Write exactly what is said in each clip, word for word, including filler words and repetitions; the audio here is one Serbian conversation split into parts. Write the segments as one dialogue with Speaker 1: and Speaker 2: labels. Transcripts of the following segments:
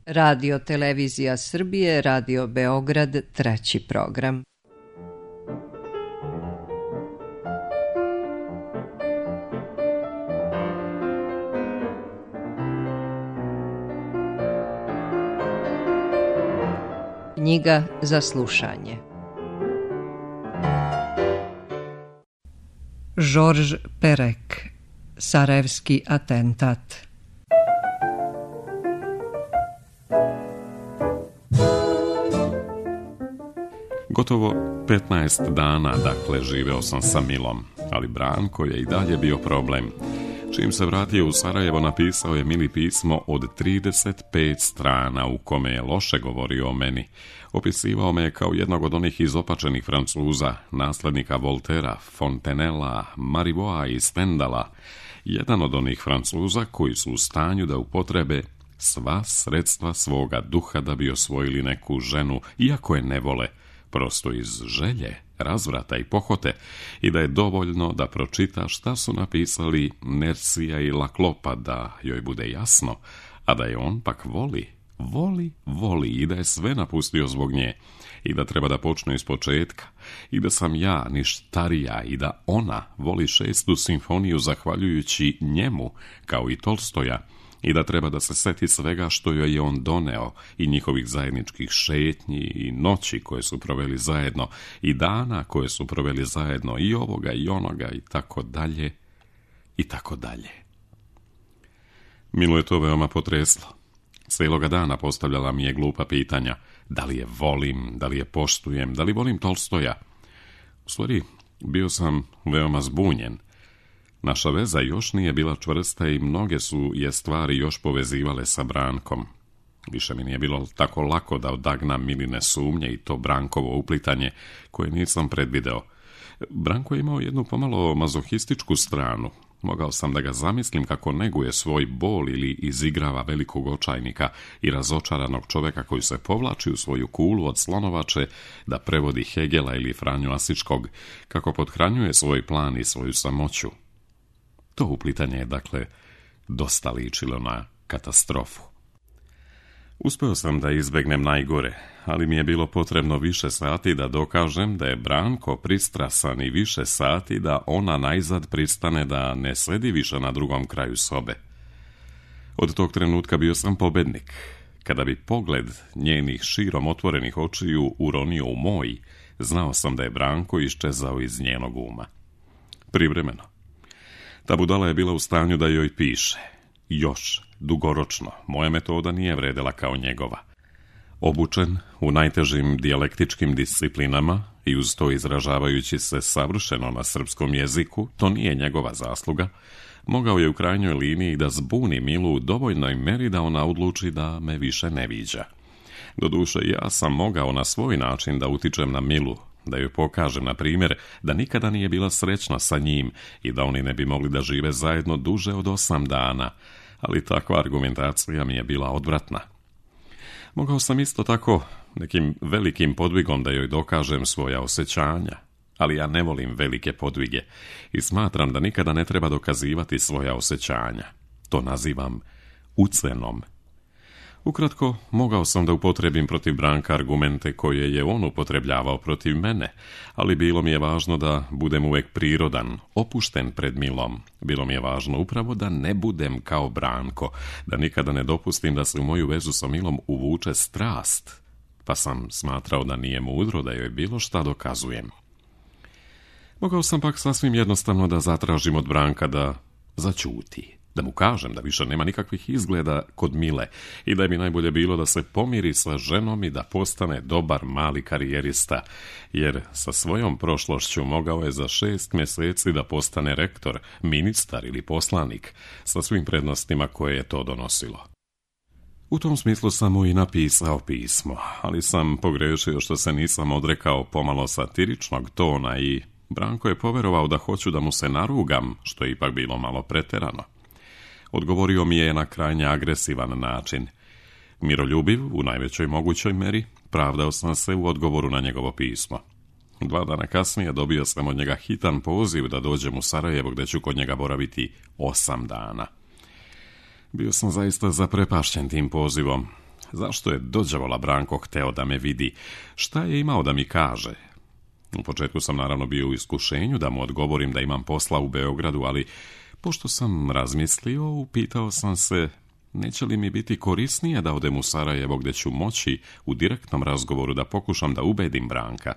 Speaker 1: Radio Televizija Srbije, Radio Beograd, treći program. Knjiga za slušanje. Georges Perec, Sarajevski atentat.
Speaker 2: Gotovo petnaest dana, dakle, živeo sam sa Milom, ali Branko je i dalje bio problem. Čim se vratio u Sarajevo, napisao je Mili pismo od trideset pet strana u kome je loše govorio o meni. Opisivao me kao jednog od onih izopačenih Francuza, naslednika Voltera, Fontenella, Marivauxa i Stendala. Jedan od onih Francuza koji su u stanju da upotrebe sva sredstva svoga duha da bi osvojili neku ženu, iako je ne vole, prosto iz želje, razvrata i pohote, i da je dovoljno da pročita šta su napisali Nercija i Laklopa da joj bude jasno, a da je on pak voli, voli, voli i da je sve napustio zbog nje i da treba da počne iz početka i da sam ja ništarija i da ona voli šestu simfoniju zahvaljujući njemu kao i Tolstoja i da treba da se seti svega što joj je on doneo i njihovih zajedničkih šetnji i noći koje su proveli zajedno i dana koje su proveli zajedno i ovoga i onoga i tako dalje i tako dalje. Milu je to veoma potreslo. Cijeloga dana postavljala mi je glupa pitanja. Da li je volim, da li je poštujem, da li volim Tolstoja? U stvari, bio sam veoma zbunjen. Naša veza još nije bila čvrsta i mnoge su je stvari još povezivale sa Brankom. Više mi nije bilo tako lako da odagnam Miline sumnje i to Brankovo uplitanje koje nisam predvideo. Branko je imao jednu pomalo mazohističku stranu. Mogao sam da ga zamislim kako neguje svoj bol ili izigrava velikog očajnika i razočaranog čoveka koji se povlači u svoju kulu od slonovače da prevodi Hegela ili Franju Asičkog, kako pothranjuje svoj plan i svoju samoću. To uplitanje je, dakle, dosta ličilo na katastrofu. Uspeo sam da izbegnem najgore, ali mi je bilo potrebno više sati da dokažem da je Branko pristrasan i više sati da ona najzad pristane da ne sedi više na drugom kraju sobe. Od tog trenutka bio sam pobednik. Kada bi pogled njenih širom otvorenih očiju uronio u moj, znao sam da je Branko iščezao iz njenog uma. Privremeno. Ta budala je bila u stanju da joj piše. Još, dugoročno, moja metoda nije vredela kao njegova. Obučen u najtežim dijalektičkim disciplinama i uz to izražavajući se savršeno na srpskom jeziku, to nije njegova zasluga, mogao je u krajnjoj liniji da zbuni Milu u dovoljnoj meri da ona odluči da me više ne viđa. Doduše, ja sam mogao na svoj način da utičem na Milu, da joj pokažem, na primjer, da nikada nije bila srećna sa njim i da oni ne bi mogli da žive zajedno duže od osam dana, ali takva argumentacija mi je bila odvratna. Mogao sam isto tako nekim velikim podvigom da joj dokažem svoja osjećanja, ali ja ne volim velike podvige i smatram da nikada ne treba dokazivati svoja osjećanja. To nazivam ucenom. Ukratko, mogao sam da upotrebim protiv Branka argumente koje je on upotrebljavao protiv mene, ali bilo mi je važno da budem uvek prirodan, opušten pred Milom. Bilo mi je važno upravo da ne budem kao Branko, da nikada ne dopustim da se u moju vezu sa Milom uvuče strast, pa sam smatrao da nije mudro da joj bilo šta dokazujem. Mogao sam pak sasvim jednostavno da zatražim od Branka da zaćuti, da mu kažem da više nema nikakvih izgleda kod Mile i da bi najbolje bilo da se pomiri sa ženom i da postane dobar mali karijerista, jer sa svojom prošlošću mogao je za šest mjeseci da postane rektor, ministar ili poslanik, sa svim prednostima koje je to donosilo. U tom smislu sam mu i napisao pismo, ali sam pogrešio što se nisam odrekao pomalo satiričnog tona i Branko je poverovao da hoću da mu se narugam, što je ipak bilo malo preterano. Odgovorio mi je na krajnje agresivan način. Miroljubiv, u najvećoj mogućoj meri, pravdao sam se u odgovoru na njegovo pismo. Dva dana kasnije dobio sam od njega hitan poziv da dođem u Sarajevo, gde ću kod njega boraviti osam dana. Bio sam zaista zaprepašćen tim pozivom. Zašto je dođavola Branko hteo da me vidi? Šta je imao da mi kaže? U početku sam naravno bio u iskušenju da mu odgovorim da imam posla u Beogradu, ali pošto sam razmislio, upitao sam se neće li mi biti korisnije da odem u Sarajevo gdje ću moći u direktnom razgovoru da pokušam da ubedim Branka.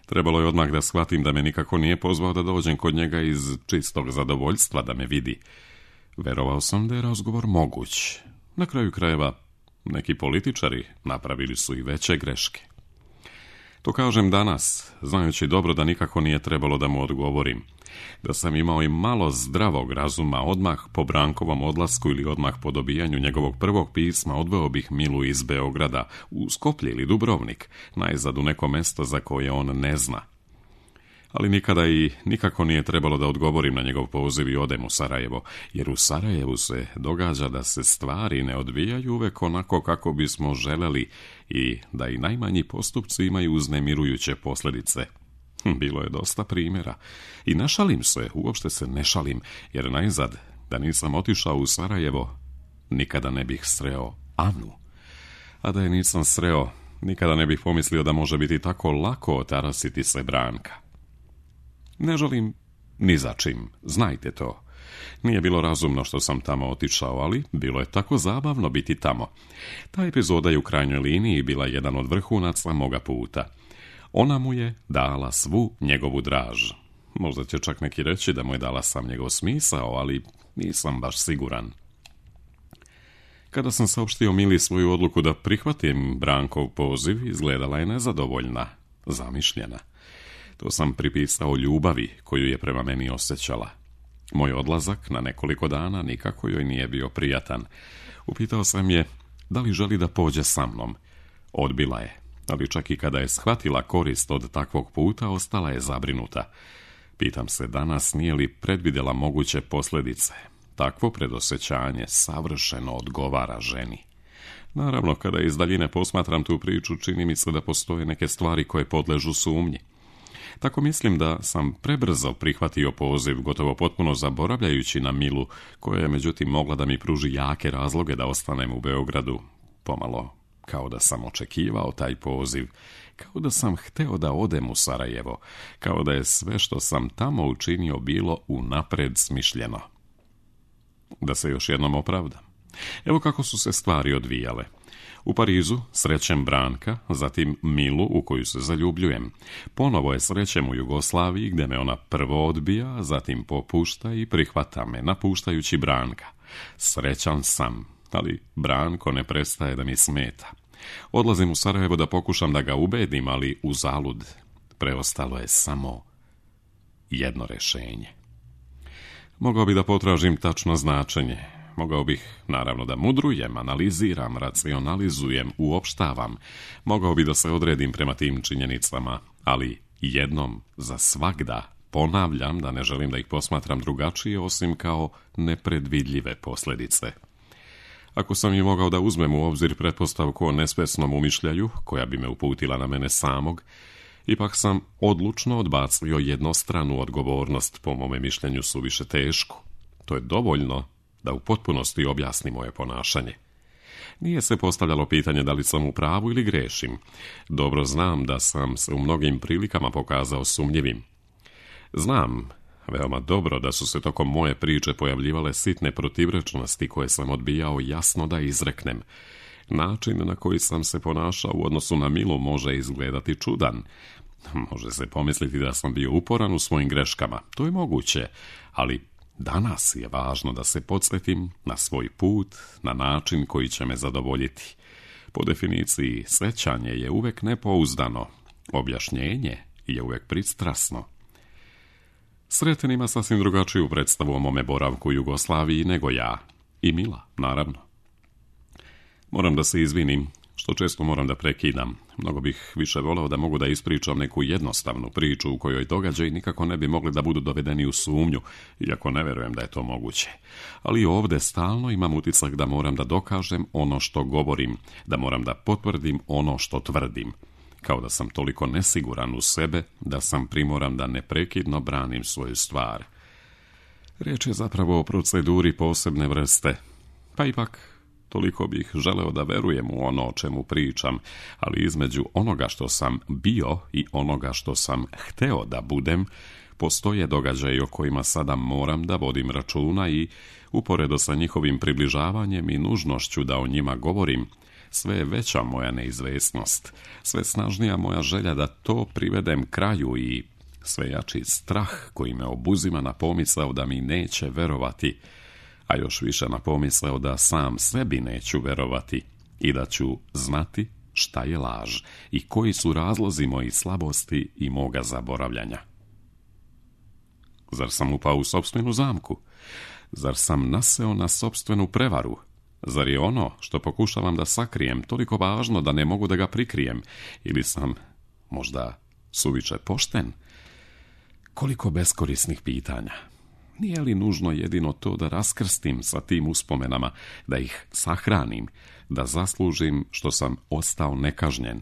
Speaker 2: Trebalo je odmah da shvatim da me nikako nije pozvao da dođem kod njega iz čistog zadovoljstva da me vidi. Verovao sam da je razgovor moguć. Na kraju krajeva, neki političari napravili su i veće greške. To kažem danas, znajući dobro da nikako nije trebalo da mu odgovorim. Da sam imao i malo zdravog razuma, odmah po Brankovom odlasku ili odmah po dobijanju njegovog prvog pisma odveo bih Milu iz Beograda u Skoplje ili Dubrovnik, najzad u neko mesto za koje on ne zna. Ali nikada i nikako nije trebalo da odgovorim na njegov poziv i odem u Sarajevo, jer u Sarajevu se događa da se stvari ne odvijaju uvek onako kako bismo želeli i da i najmanji postupci imaju uznemirujuće posljedice. Bilo je dosta primjera. I ne šalim se, uopšte se ne šalim, jer najzad, da nisam otišao u Sarajevo, nikada ne bih sreo Anu. A da je nisam sreo, nikada ne bih pomislio da može biti tako lako otarasiti se Branka. Ne žalim ni za čim, znajte to. Nije bilo razumno što sam tamo otišao, ali bilo je tako zabavno biti tamo. Ta epizoda je u krajnjoj liniji bila jedan od vrhunaca moga puta. Ona mu je dala svu njegovu draž. Možda će čak neki reći da mu je dala sam njegov smisao, ali nisam baš siguran. Kada sam saopštio Mili svoju odluku da prihvatim Brankov poziv, izgledala je nezadovoljna, zamišljena. To sam pripisao ljubavi koju je prema meni osjećala. Moj odlazak na nekoliko dana nikako joj nije bio prijatan. Upitao sam je da li želi da pođe sa mnom. Odbila je, ali čak i kada je shvatila korist od takvog puta, ostala je zabrinuta. Pitam se danas nije li predvidjela moguće posljedice. Takvo predosjećanje savršeno odgovara ženi. Naravno, kada iz daljine posmatram tu priču, čini mi se da postoje neke stvari koje podležu sumnji. Tako mislim da sam prebrzo prihvatio poziv, gotovo potpuno zaboravljajući na Milu, koja je međutim mogla da mi pruži jake razloge da ostanem u Beogradu. Pomalo kao da sam očekivao taj poziv, kao da sam hteo da odem u Sarajevo, kao da je sve što sam tamo učinio bilo unapred smišljeno. Da se još jednom opravdam. Evo kako su se stvari odvijale. U Parizu srećem Branka, zatim Milu u koju se zaljubljujem. Ponovo je srećem u Jugoslaviji gdje me ona prvo odbija, zatim popušta i prihvata me, napuštajući Branka. Srećan sam, ali Branko ne prestaje da mi smeta. Odlazim u Sarajevo da pokušam da ga ubedim, ali uzalud. Preostalo je samo jedno rješenje. Mogao bi da potražim tačno značenje. Mogao bih, naravno, da mudrujem, analiziram, racionalizujem, uopštavam. Mogao bi da se odredim prema tim činjenicama, ali jednom za svagda ponavljam da ne želim da ih posmatram drugačije osim kao nepredvidljive posljedice. Ako sam i mogao da uzmem u obzir pretpostavku o nesvesnom umišljaju, koja bi me uputila na mene samog, ipak sam odlučno odbacio jednostranu odgovornost, po mome mišljenju suviše tešku. To je dovoljno da u potpunosti objasni moje ponašanje. Nije se postavljalo pitanje da li sam u pravu ili grešim. Dobro znam da sam se u mnogim prilikama pokazao sumnjivim. Znam veoma dobro da su se tokom moje priče pojavljivale sitne protivrečnosti koje sam odbijao jasno da izreknem. Način na koji sam se ponašao u odnosu na Milu može izgledati čudan. Može se pomisliti da sam bio uporan u svojim greškama. To je moguće, ali danas je važno da se podsjetim na svoj put, na način koji će me zadovoljiti. Po definiciji, sećanje je uvek nepouzdano, objašnjenje je uvek pristrasno. Sreten ima sasvim drugačiju predstavu o mome boravku u Jugoslaviji nego ja. I Mila, naravno. Moram da se izvinim, što često moram da prekidam. Mnogo bih više voleo da mogu da ispričam neku jednostavnu priču u kojoj događaji nikako ne bi mogli da budu dovedeni u sumnju, iako ne verujem da je to moguće. Ali ovdje stalno imam utisak da moram da dokažem ono što govorim, da moram da potvrdim ono što tvrdim. Kao da sam toliko nesiguran u sebe da sam primoran da neprekidno branim svoju stvar. Riječ je zapravo o proceduri posebne vrste, pa ipak toliko bih želeo da verujem u ono o čemu pričam, ali između onoga što sam bio i onoga što sam hteo da budem, postoje događaji o kojima sada moram da vodim računa i, uporedo sa njihovim približavanjem i nužnošću da o njima govorim, sve je veća moja neizvesnost, sve snažnija moja želja da to privedem kraju i sve jači strah koji me obuzima na pomisao da mi neće verovati, a još više na pomisao da sam sebi neću verovati i da ću znati šta je laž i koji su razlozi mojih slabosti i moga zaboravljanja. Zar sam upao u sopstvenu zamku? Zar sam naseo na sopstvenu prevaru? Zar je ono što pokušavam da sakrijem toliko važno da ne mogu da ga prikrijem? Ili sam možda suviše pošten? Koliko beskorisnih pitanja. Nije li nužno jedino to da raskrstim sa tim uspomenama, da ih sahranim, da zaslužim što sam ostao nekažnjen?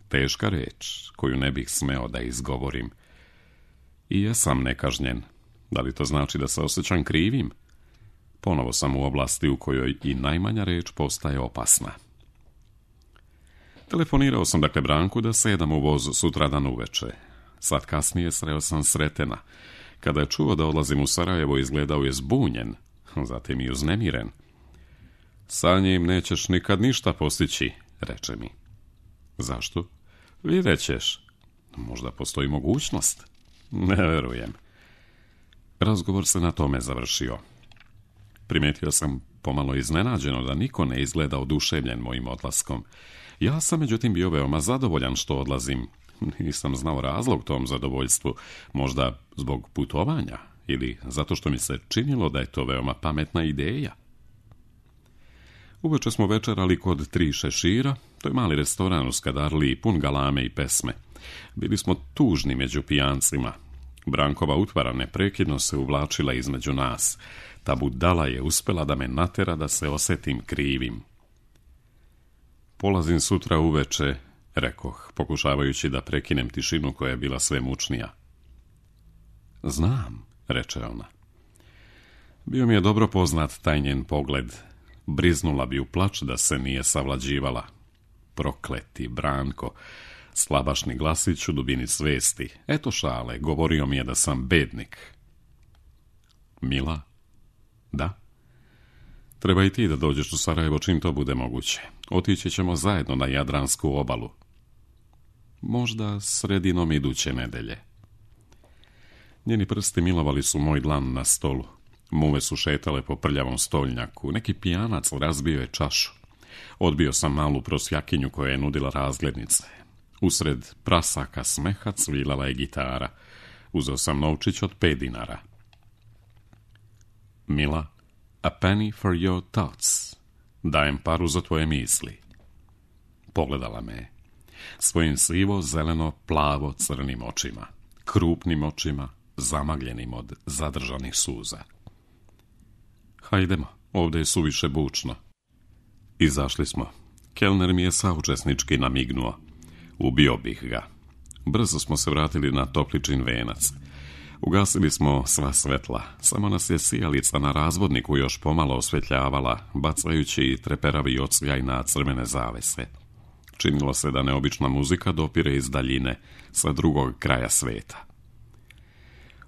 Speaker 2: Teška reč koju ne bih smeo da izgovorim. I jesam nekažnjen. Da li to znači da se osjećam krivim? Ponovo sam u oblasti u kojoj i najmanja reč postaje opasna. Telefonirao sam dakle Branku da sedam u voz sutradan uveče. Sad kasnije sreo sam Sretena. Kada je čuo da odlazim u Sarajevo, izgledao je zbunjen, zatim i uznemiren. Sa njim nećeš nikad ništa postići, reče mi. Zašto? Vidjet ćeš. Možda postoji mogućnost. Ne verujem. Razgovor se na tome završio. Primetio sam pomalo iznenađeno da niko ne izgleda oduševljen mojim odlaskom. Ja sam međutim bio veoma zadovoljan što odlazim. Nisam znao razlog tom zadovoljstvu, možda zbog putovanja ili zato što mi se činilo da je to veoma pametna ideja. Uveče smo večerali kod Tri šešira, to je mali restoran u Skadarliji, pun galame i pesme. Bili smo tužni među pijancima. Brankova utvara neprekidno se uvlačila između nas. Ta budala je uspela da me natera da se osetim krivim. Polazim sutra uveče, rekoh, pokušavajući da prekinem tišinu koja je bila sve mučnija. Znam, reče ona. Bio mi je dobro poznat taj njen pogled. Briznula bi u plač da se nije savlađivala. Prokleti Branko, slabašni glasić u dubini svesti. Eto šale, govorio mi je da sam bednik. Mila? Da? Treba i ti da dođeš u Sarajevo čim to bude moguće. Otići ćemo zajedno na Jadransku obalu. Možda sredinom iduće nedelje. Njeni prsti milovali su moj dlan na stolu. Muve su šetale po prljavom stolnjaku. Neki pijanac razbio je čašu. Odbio sam malu prosjakinju koja je nudila razglednice. Usred prasaka smeha cvilala je gitara. Uzeo sam novčić od pet dinara. Mila, a penny for your thoughts. Dajem paru za tvoje misli. Pogledala me je. Svojim sivo, zeleno, plavo, crnim očima. Krupnim očima, zamagljenim od zadržanih suza. Hajdemo, ovdje je suviše bučno. Izašli smo. Kelner mi je saučesnički namignuo. Ubio bih ga. Brzo smo se vratili na Topličin venac. Ugasili smo sva svetla, samo nas je sijalica na razvodniku još pomalo osvetljavala, bacajući treperavi odsjaj na crvene zavese. Činilo se da neobična muzika dopire iz daljine, sa drugog kraja sveta.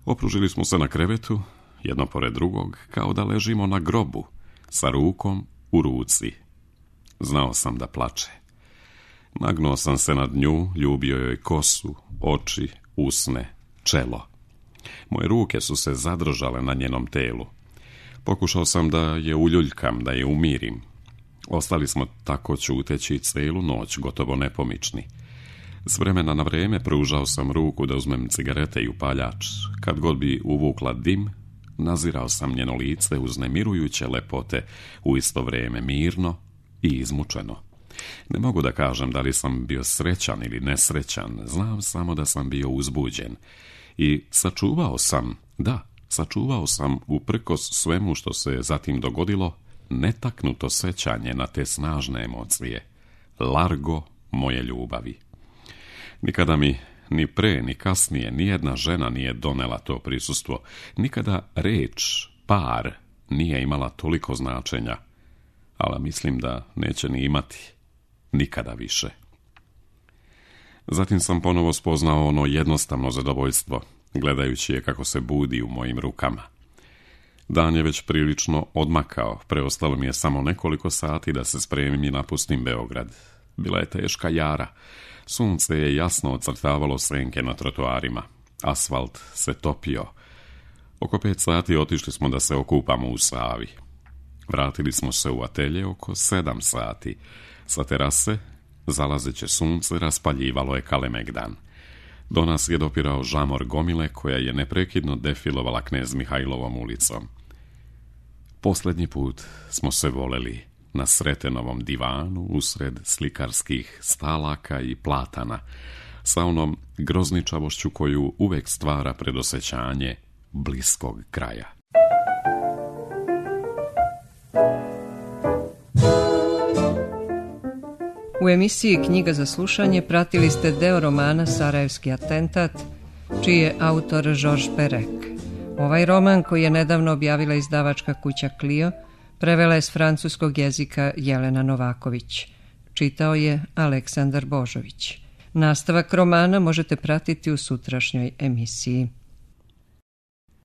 Speaker 2: Opružili smo se na krevetu, jedno pored drugog, kao da ležimo na grobu, sa rukom u ruci. Znao sam da plače. Nagnuo sam se nad nju, ljubio joj kosu, oči, usne, čelo. Moje ruke su se zadržale na njenom telu. Pokušao sam da je uljuljkam, da je umirim. Ostali smo tako ćuteći celu noć, gotovo nepomični. S vremena na vreme pružao sam ruku da uzmem cigarete i upaljač. Kad god bi uvukla dim, nazirao sam njeno lice uznemirujuće lepote, u isto vrijeme mirno i izmučeno. Ne mogu da kažem da li sam bio srećan ili nesrećan, znam samo da sam bio uzbuđen. I sačuvao sam, da, sačuvao sam uprkos svemu što se zatim dogodilo, netaknuto sećanje na te snažne emocije. Largo moje ljubavi. Nikada mi ni pre ni kasnije nijedna žena nije donela to prisustvo. Nikada reč, par, nije imala toliko značenja. ali mislim da neće ni imati nikada više. Zatim sam ponovo spoznao ono jednostavno zadovoljstvo, gledajući je kako se budi u mojim rukama. Dan je već prilično odmakao, preostalo mi je samo nekoliko sati da se spremim i napustim Beograd. Bila je teška jara, sunce je jasno ocrtavalo senke na trotoarima, asfalt se topio. Oko pet sati otišli smo da se okupamo u Savi. Vratili smo se u atelje oko sedam sati. Sa terase, zalazeće sunce, raspaljivalo je Kalemegdan. Do nas je dopirao žamor gomile koja je neprekidno defilovala Knez Mihajlovom ulicom. Posljednji put smo se voleli na Sretenovom divanu usred slikarskih stalaka i platana, sa onom grozničavošću koju uvek stvara predosjećanje bliskog kraja.
Speaker 1: U emisiji Knjiga za slušanje pratili ste deo romana Sarajevski atentat, čiji je autor Georges Perec. Ovaj roman, koji je nedavno objavila izdavačka kuća Clio, prevela je s francuskog jezika Jelena Novaković. Čitao je Aleksandar Božović. Nastavak romana možete pratiti u sutrašnjoj emisiji.